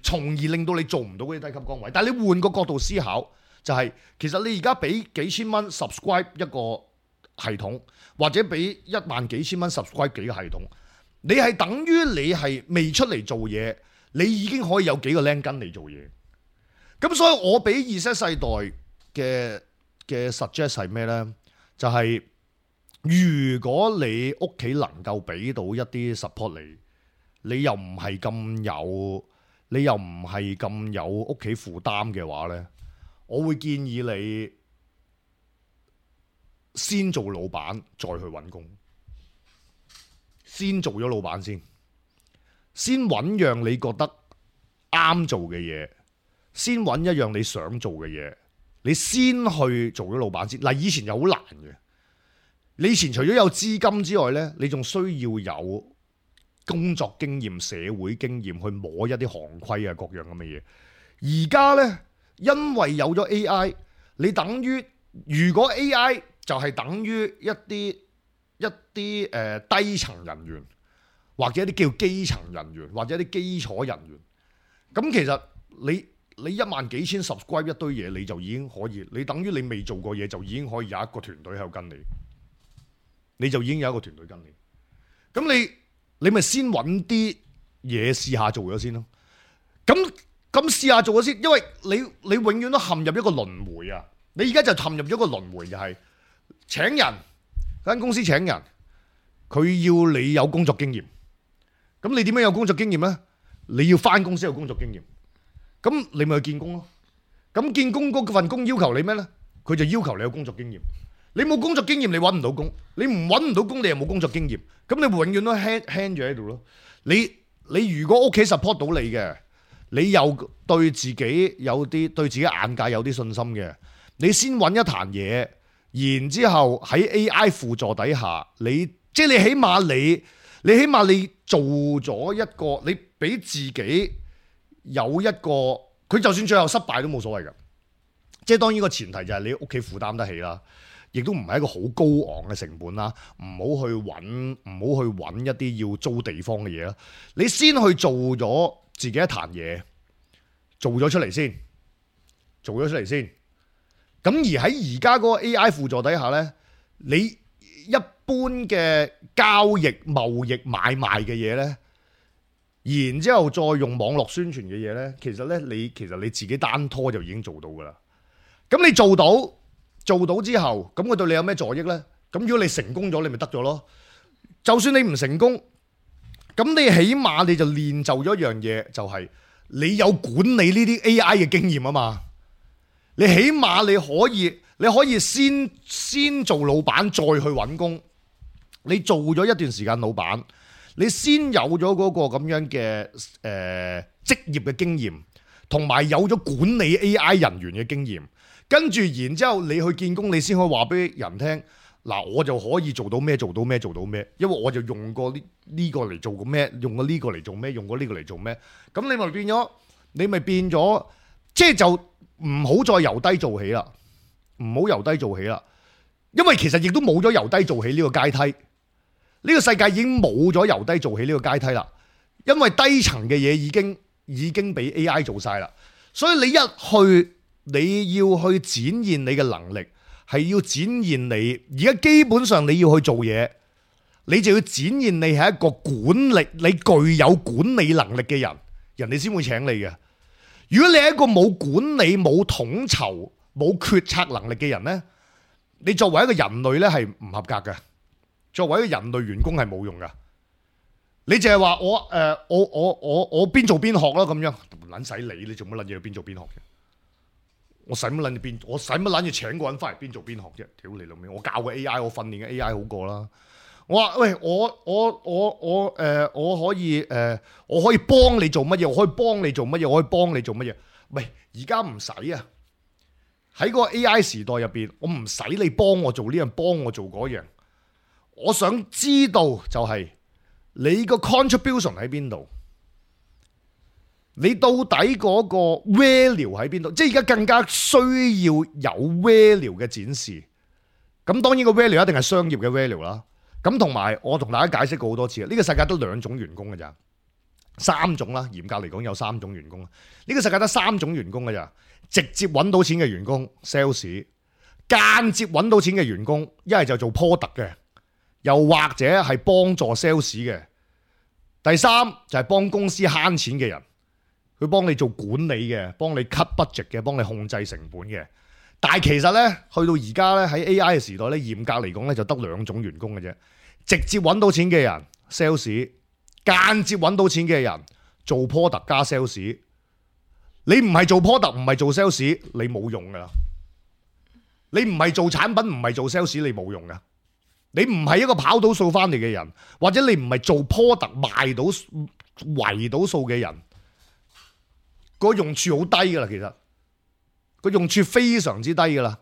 從而令到你做唔到嗰啲低級崗位。但係你換個角度思考，就係、是、其實你而家俾幾千蚊 subscribe 一個系統，或者俾一萬幾千蚊 subscribe 幾個系統，你係等於你係未出嚟做嘢，你已經可以有幾個僆跟嚟做嘢。咁所以我俾 Z 世代嘅嘅 suggest 係咩呢？就係、是、如果你屋企能夠俾到一啲 support 你，你又唔係咁有，你又唔係咁有屋企負擔嘅話呢，我會建議你先做老闆，再去揾工。先做咗老闆先，先揾樣你覺得啱做嘅嘢。先揾一樣你想做嘅嘢，你先去做咗老闆先。嗱，以前又好難嘅。你以前除咗有資金之外呢，你仲需要有工作經驗、社會經驗去摸一啲行規啊，各樣咁嘅嘢。而家呢，因為有咗 A I，你等於如果 A I 就係等於一啲一啲誒、呃、低層人員，或者一啲叫基層人員，或者一啲基礎人員，咁其實你。你一萬幾千 subscribe 一堆嘢，你就已經可以，你等於你未做過嘢就已經可以有一個團隊喺度跟你，你就已經有一個團隊跟你。咁你你咪先揾啲嘢試下做咗先咯。咁咁試下做咗先，因為你你永遠都陷入一個輪迴啊！你而家就陷入咗一個輪迴，就係、是、請人間公司請人，佢要你有工作經驗。咁你點樣有工作經驗呢？你要返公司有工作經驗。咁你咪去見工咯。咁見工嗰份工要求你咩呢？佢就要求你有工作經驗。你冇工作經驗，你揾唔到工。你唔揾唔到工，你又冇工作經驗。咁你永遠都 hang hang 住喺度咯。你你如果屋企 support 到你嘅，你又對自己有啲對自己眼界有啲信心嘅，你先揾一壇嘢，然之後喺 A I 輔助底下，你即係你起碼你你起碼你做咗一個，你俾自己有一個，佢就算最後失敗都冇所謂㗎。即係當然個前提就係你屋企負擔得起啦，亦都唔係一個好高昂嘅成本啦。唔好去揾唔好去揾一啲要租地方嘅嘢啦。你先去做咗自己一壇嘢，做咗出嚟先，做咗出嚟先。咁而喺而家嗰個 A I 輔助底下呢，你一般嘅交易、貿易、買賣嘅嘢呢，然之後再用網絡宣傳嘅嘢呢，其實呢，你其實你自己單拖就已經做到噶啦。咁你做到做到之後，咁佢對你有咩助益呢？咁如果你成功咗，你咪得咗咯。就算你唔成功，咁你起碼你就練就咗一樣嘢，就係你有管理呢啲 A I 嘅經驗啊嘛。你起碼你可以你可以先先做老闆，再去揾工。你做咗一段時間老闆，你先有咗嗰個咁樣嘅誒職業嘅經驗，同埋有咗管理 A I 人員嘅經驗。跟住，然之後你去見工，你先可以話俾人聽，嗱，我就可以做到咩，做到咩，做到咩，因為我就用過呢呢個嚟做過咩，用過呢個嚟做咩，用過呢個嚟做咩，咁你咪變咗，你咪變咗，即係就唔好再由低做起啦，唔好由低做起啦，因為其實亦都冇咗由低做起呢個階梯，呢個世界已經冇咗由低做起呢個階梯啦，因為低層嘅嘢已經已經俾 A I 做晒啦，所以你一去。你要去展現你嘅能力，係要展現你而家基本上你要去做嘢，你就要展現你係一個管理，你具有管理能力嘅人，人哋先會請你嘅。如果你係一個冇管理、冇統籌、冇決策能力嘅人呢，你作為一個人類呢係唔合格嘅，作為一個人類員工係冇用噶。你淨係話我誒、呃，我我我我邊做邊學啦咁樣，唔撚使理你做乜撚嘢去邊做邊學嘅。我使乜撚住邊？我使乜撚住請個人翻嚟邊做邊學啫？屌你老味！我教個 A I， 我訓練嘅 A I 好過啦。我話喂，我我我我誒、呃，我可以誒、呃，我可以幫你做乜嘢？我可以幫你做乜嘢？我可以幫你做乜嘢？喂，而家唔使啊！喺個 A I 時代入邊，我唔使你幫我做呢樣，幫我做嗰樣。我想知道就係你個 contribution 喺邊度？你到底嗰個 value 喺邊度？即係而家更加需要有 value 嘅展示。咁當然個 value 一定係商業嘅 value 啦。咁同埋我同大家解釋過好多次，呢個世界得兩種員工嘅咋，三種啦。嚴格嚟講有三種員工。呢個世界得三種員工嘅咋，直接揾到錢嘅員工 sales， 間接揾到錢嘅員工，一係就做 product 嘅，又或者係幫助 sales 嘅。第三就係幫公司慳錢嘅人。佢幫你做管理嘅，幫你 cut budget 嘅，幫你控制成本嘅。但係其實呢，去到而家呢，喺 A I 嘅時代呢，嚴格嚟講呢，就得兩種員工嘅啫。直接揾到錢嘅人 sales， 間接揾到錢嘅人做 product 加 sales。你唔係做 product， 唔係做 sales， 你冇用噶。你唔係做產品，唔係做 sales， 你冇用噶。你唔係一個跑到數翻嚟嘅人，或者你唔係做 product 賣到圍到數嘅人。個用處好低噶啦，其實個用處非常之低噶啦。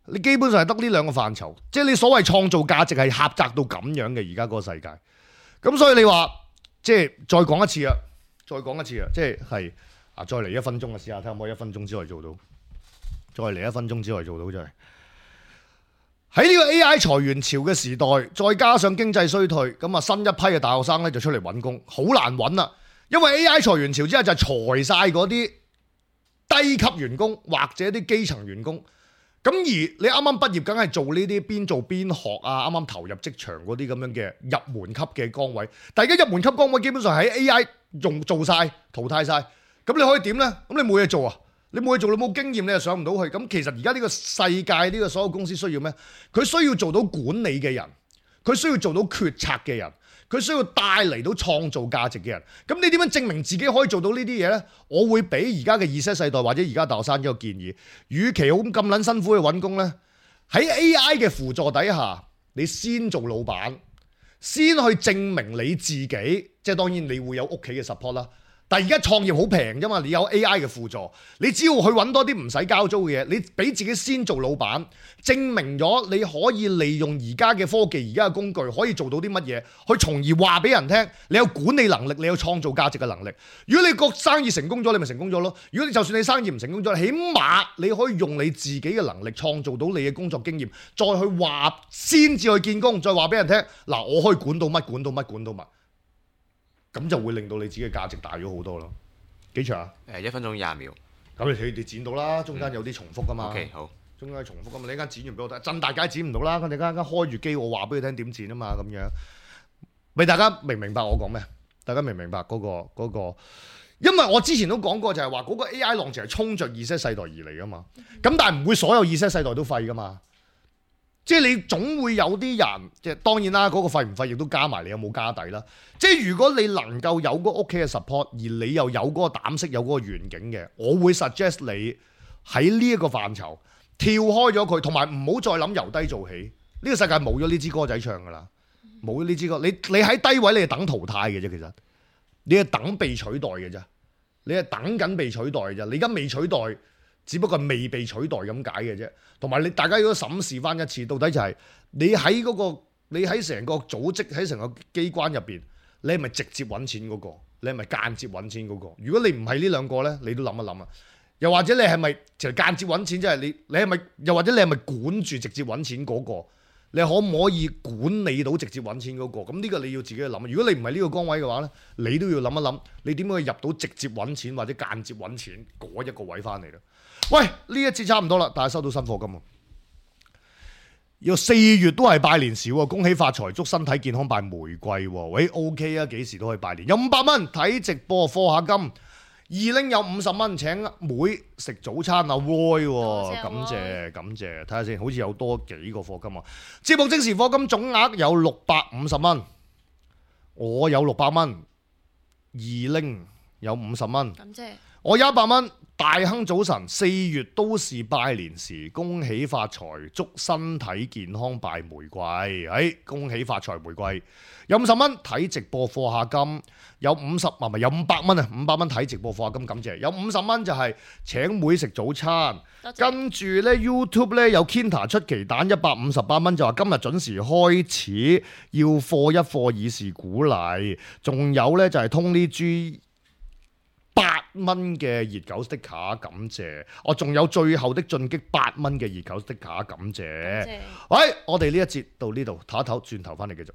你基本上係得呢兩個範疇，即係你所謂創造價值係狹窄到咁樣嘅而家嗰個世界。咁所以你話即係再講一次啊，再講一次啊，即係係啊，再嚟一分鐘啊，試下睇下可唔可以一分鐘之內做到，再嚟一分鐘之內做到就係喺呢個 A I 裁員潮嘅時代，再加上經濟衰退，咁啊新一批嘅大學生咧就出嚟揾工，好難揾啦。因為 A I 裁員潮之後就係裁晒嗰啲低級員工或者啲基層員工，咁而你啱啱畢業，梗係做呢啲邊做邊學啊，啱啱投入職場嗰啲咁樣嘅入門級嘅崗位。但係而家入門級崗位基本上喺 A I 用做晒淘汰晒，咁你可以點呢？咁你冇嘢做啊？你冇嘢做，你冇經驗，你又上唔到去。咁其實而家呢個世界，呢個所有公司需要咩？佢需要做到管理嘅人，佢需要做到決策嘅人，佢需要帶嚟到創造價值嘅人。咁你點樣證明自己可以做到呢啲嘢呢？我會俾而家嘅 Z 世代或者而家大學生一個建議：與其好咁撚辛苦去揾工呢，喺 A I 嘅輔助底下，你先做老闆，先去證明你自己。即係當然你會有屋企嘅 support 啦。但係而家創業好平啫嘛，你有 A I 嘅輔助，你只要去揾多啲唔使交租嘅嘢，你俾自己先做老闆，證明咗你可以利用而家嘅科技、而家嘅工具可以做到啲乜嘢，去從而話俾人聽，你有管理能力，你有創造價值嘅能力。如果你個生意成功咗，你咪成功咗咯。如果你就算你生意唔成功咗，起碼你可以用你自己嘅能力創造到你嘅工作經驗，再去話先至去見工，再話俾人聽，嗱，我可以管到乜管到乜管到乜。咁就會令到你自己嘅價值大咗好多咯。幾長啊？誒一分鐘廿秒。咁你你哋剪到啦，中間有啲重複噶嘛。OK 好。中間重複噶嘛，你一間剪完俾我睇，真大家剪唔到啦。我哋間間開住機，我話俾佢聽點剪啊嘛，咁樣。咪大家明唔明白我講咩？大家明唔明白嗰個嗰個？因為我之前都講過，就係話嗰個 A I 浪潮係衝着 Z 世代而嚟噶嘛。咁但係唔會所有 Z 世代都廢噶嘛。即係你總會有啲人，即係當然啦，嗰個廢唔廢亦都加埋你有冇家底啦。即係如果你能夠有嗰屋企嘅 support，而你又有嗰個膽識、有嗰個願景嘅，我會 suggest 你喺呢一個範疇跳開咗佢，同埋唔好再諗由低做起。呢個世界冇咗呢支歌仔唱噶啦，冇咗呢支歌。你你喺低位，你係等淘汰嘅啫，其實你係等被取代嘅啫，你係等緊被取代嘅啫。你而家未取代，只不過未被取代咁解嘅啫。同埋你大家如果審視翻一次，到底就係你喺嗰個你喺成個組織喺成個機關入邊，你係咪直接揾錢嗰個？你係咪間接揾錢嗰個？如果你唔係呢兩個呢，你都諗一諗啊！又或者你係咪其實間接揾錢，即係你你係咪？又或者你係咪管住直接揾錢嗰個？你可唔可以管理到直接揾錢嗰個？咁呢個你要自己去諗。如果你唔係呢個崗位嘅話呢，你都要諗一諗，你點樣去入到直接揾錢或者間接揾錢嗰一個位翻嚟啦？喂，呢一節差唔多啦，但係收到新課金喎。要四月都係拜年時喎，恭喜發財，祝身體健康，拜玫瑰喎。喂 ，OK 啊，幾時都可以拜年。有五百蚊睇直播課下金，二拎有五十蚊請妹食早餐啊 Roy 喎，感謝感謝，睇下先，好似有多幾個課金啊。節目即時課金總額有六百五十蚊，我有六百蚊，二拎有五十蚊，感謝。我有一百蚊。大亨早晨，四月都是拜年時，恭喜發財，祝身體健康，拜玫瑰。哎，恭喜發財玫瑰。有五十蚊睇直播課下金，有五十啊，唔係有五百蚊啊，五百蚊睇直播課下金，感謝。有五十蚊就係請妹食早餐，跟住呢 YouTube 呢有 Kinta 出奇蛋一百五十八蚊，就話今日準時開始，要課一課以示鼓勵。仲有呢就係通呢豬。八蚊嘅熱狗 sticker 感謝，我仲有最後的進擊八蚊嘅熱狗 sticker 感謝。喂，我哋呢一節到呢度，唞一唞，轉頭翻嚟繼續。